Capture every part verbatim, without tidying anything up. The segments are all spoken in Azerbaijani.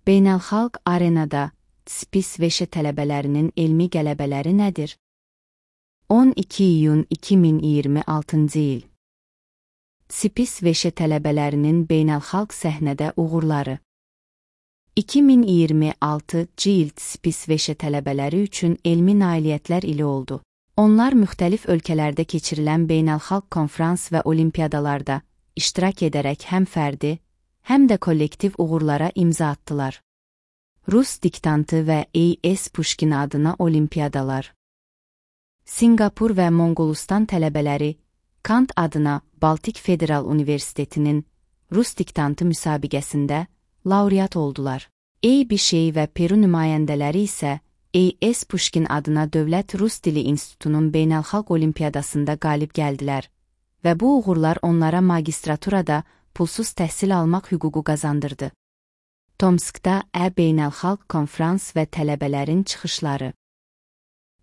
Beynəlxalq arenada SPIS Veşe tələbələrinin elmi qələbələri nədir? on iki iyun iki min iyirmi altıncı il. SPIS Veşe tələbələrinin beynəlxalq səhnədə uğurları. iki min iyirmi altıncı il SPIS Veşe tələbələri üçün elmi nailiyyətlər ili oldu. Onlar müxtəlif ölkələrdə keçirilən beynəlxalq konfrans və olimpiyadalarda iştirak edərək həm fərdi, həm də kollektiv uğurlara imza attılar. Rus diktantı və A S Pushkin adına olimpiyadalar. Singapur və Monqolistan tələbələri Kant adına Baltik Federal Universitetinin Rus diktantı müsabiqəsində laureat oldular. Eybi-Şey və Peru nümayəndələri isə A S Pushkin adına Dövlət Rus Dili İnstitutunun beynəlxalq olimpiyadasında qalib gəldilər və bu uğurlar onlara magistraturada pulsuz təhsil almaq hüququ qazandırdı. Tomskda Ə Beynəlxalq Konfrans və tələbələrin çıxışları.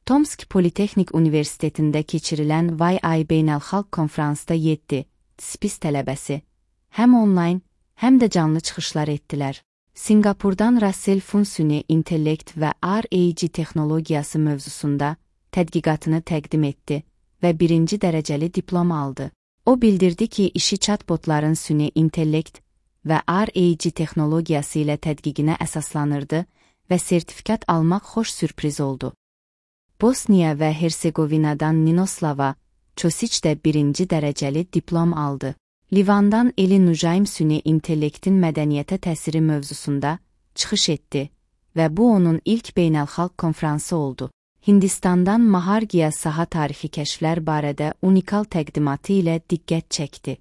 Tomsk Politexnik Universitetində keçirilən Y I Beynəlxalq Konfransda yeddi SPIS tələbəsi həm onlayn, həm də canlı çıxışlar etdilər. Singapurdan Russell Fun süni intellekt və R A G texnologiyası mövzusunda tədqiqatını təqdim etdi və birinci dərəcəli diplom aldı. O bildirdi ki, işi chatbotların süni intellekt və R A G texnologiyası ilə tədqiqinə əsaslanırdı və sertifikat almaq xoş sürpriz oldu. Bosniya və Hersegovinadan Ninoslava Çosiç də birinci dərəcəli diplom aldı. Livandan Eli Nujaim süni intellektin mədəniyyətə təsiri mövzusunda çıxış etdi və bu onun ilk beynəlxalq konfransı oldu. Hindistandan Mahargiya saha tarixi kəşflər barədə unikal təqdimatı ilə diqqət çəkdi.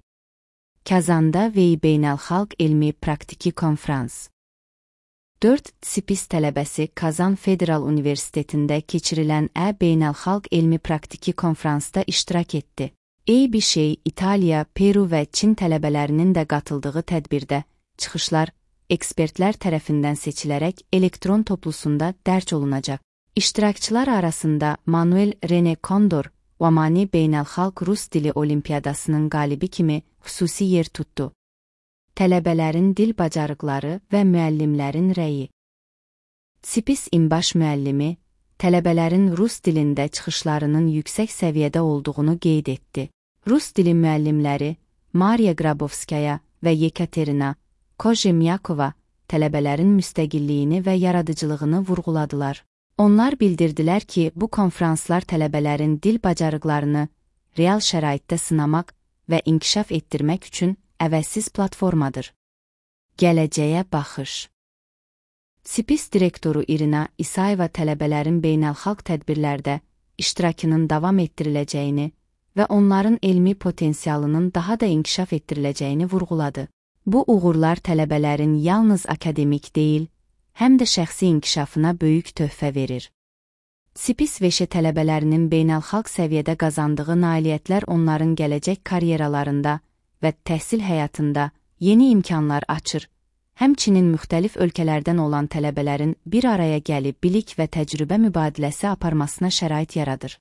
Kazanda V I Beynəlxalq Elmi Praktiki Konfrans. dörd SPIS tələbəsi Kazan Federal Universitetində keçirilən Ə Beynəlxalq Elmi Praktiki Konfransda iştirak etdi. Eybi-Şey, İtaliya, Peru və Çin tələbələrinin də qatıldığı tədbirdə çıxışlar ekspertlər tərəfindən seçilərək elektron toplusunda dərc olunacaq. İştirakçılar arasında Manuel René Condor, Vamani Beynəlxalq Rus Dili Olimpiyadasının qalibi kimi xüsusi yer tutdu. Tələbələrin dil bacarıqları və müəllimlərin rəyi. SPIS İmbaş müəllimi, tələbələrin Rus dilində çıxışlarının yüksək səviyyədə olduğunu qeyd etdi. Rus dili müəllimləri Mariya Grabovskaya və Yekaterina Kozhemyakova tələbələrin müstəqilliyini və yaradıcılığını vurğuladılar. Onlar bildirdilər ki, bu konfranslar tələbələrin dil bacarıqlarını real şəraitdə sınamaq və inkişaf etdirmək üçün əvəzsiz platformadır. Gələcəyə baxış. SPIS direktoru İrina İsayeva tələbələrin beynəlxalq tədbirlərdə iştirakının davam etdiriləcəyini və onların elmi potensialının daha da inkişaf etdiriləcəyini vurğuladı. Bu uğurlar tələbələrin yalnız akademik deyil, həm də şəxsi inkişafına böyük töhfə verir. SPIS Veşe tələbələrinin beynəlxalq səviyyədə qazandığı nailiyyətlər onların gələcək karyeralarında və təhsil həyatında yeni imkanlar açır, həmçinin müxtəlif ölkələrdən olan tələbələrin bir araya gəlib bilik və təcrübə mübadiləsi aparmasına şərait yaradır.